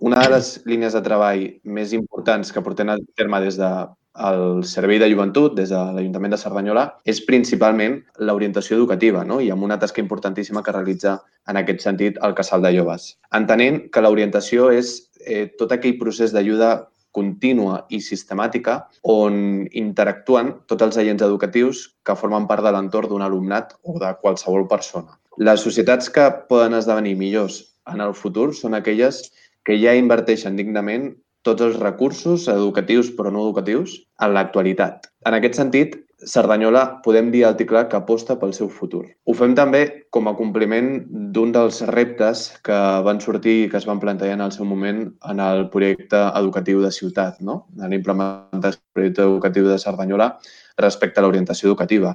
Una de les línies de treball més importants que portem a terme des del Servei de Joventut, des de l'Ajuntament de Cerdanyola, és principalment l'orientació educativa, no? I amb una tasca importantíssima que realitza en aquest sentit el Casal de Joves. Entenent que l'orientació és tot aquell procés d'ajuda contínua i sistemàtica on interactuen tots els agents educatius que formen part de l'entorn d'un alumnat o de qualsevol persona. Les societats que poden esdevenir millors en el futur són aquelles que ja inverteixen dignament tots els recursos educatius però no educatius en l'actualitat. En aquest sentit, Cerdanyola podem dir alt i clar que aposta pel seu futur. Ho fem també com a compliment d'un dels reptes que van sortir i que es van plantejar en el seu moment en el projecte educatiu de ciutat, no? En implementar el projecte educatiu de Cerdanyola respecte a l'orientació educativa.